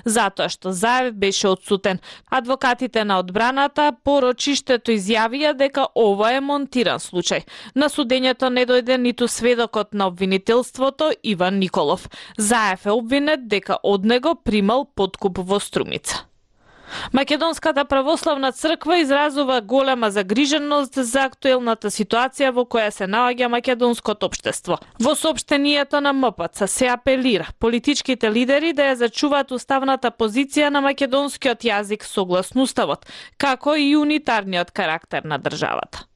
затоа што Заев беше отсутен. Адвокатите на одбраната по рочиштето изјавија дека ова е монтиран случај. На судењето не дојде ниту сведокот на обвинителството Иван Николов. Заев е обвинет дека од него примал подкуп во Струмица. Македонската православна црква изразува голема загриженост за актуелната ситуација во која се наоѓа македонското општество. Во соопштението на МПЦ се апелира политичките лидери да ја зачуваат уставната позиција на македонскиот јазик согласно уставот, како и унитарниот карактер на државата.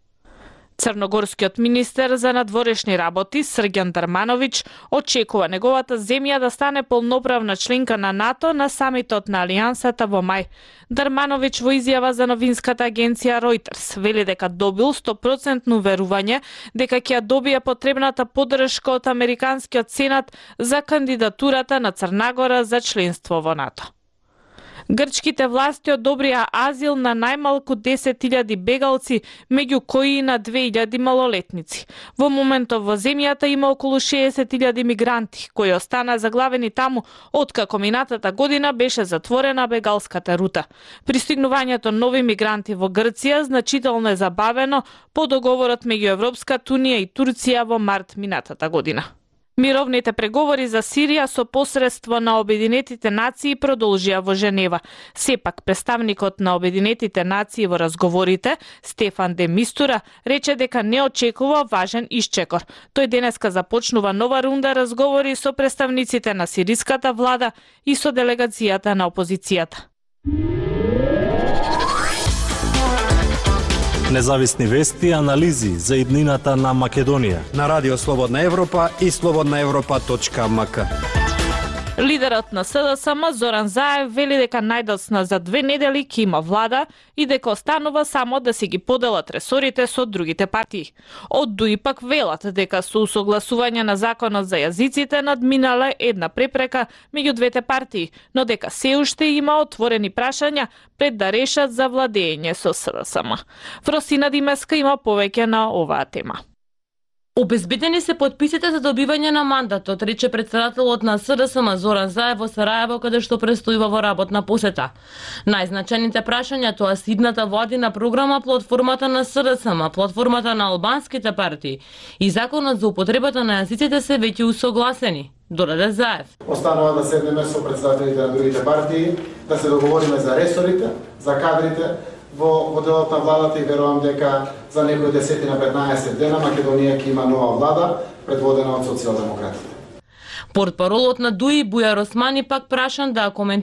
Црногорскиот министер за надворешни работи Срѓан Дармановиќ очекува неговата земја да стане полноправна членка на НАТО на самитот на Алијансата во мај. Дармановиќ во изјава за новинската агенција Reuters вели дека добил 100% уверување дека ќе ја добие потребната поддршка од Американскиот сенат за кандидатурата на Црна за членство во НАТО. Грчките власти одобрија азил на најмалку 10.000 бегалци, меѓу кои и на 2.000 малолетници. Во моментов во земјата има околу 60.000 мигранти, кои остана заглавени таму откако минатата година беше затворена бегалската рута. Пристигнувањето нови мигранти во Грција значително е забавено по договорот меѓу Европската унија и Турција во март минатата година. Мировните преговори за Сирија со посредство на Обединетите нации продолжија во Женева. Сепак, представникот на Обединетите нации во разговорите, Стефан де Мистура, рече дека не очекува важен исчекор. Тој денеска започнува нова рунда разговори со представниците на сириската влада и со делегацијата на опозицијата. Независни вести и анализи за иднината на Македонија на Радио Слободна Европа и slobodnaevropa.mk. Лидерот на СДСМ Зоран Заев вели дека најдоцна за 2 недели ќе има влада и дека останува само да си ги поделат ресорите со другите партии. Од ДУИ пак велат дека со усогласување на законот за јазиците надминале една препрека меѓу двете партии, но дека се уште има отворени прашања пред да решат за владење со СДСМ. Фросина Димеска има повеќе на оваа тема. Обезбедени се подписите за добивање на мандатот, рече претседателот на СДСМ Зоран Заев во Сараево, каде што престојува во работна посета. Најзначајните прашања тоа се идната владина програма, платформата на СДСМ, платформата на албанските партии и законот за употребата на јазиците се веќе усогласени, додаде Заев. Останува да седнеме со претседателите на другите партии, да се договориме за ресорите, за кадрите, во делот на владата и верувам дека за некои 10-15 дена Македонија ќе има нова влада предводена од социјалдемократите. Портпаролот на ДУИ Бујар Османи пак прашан да коментира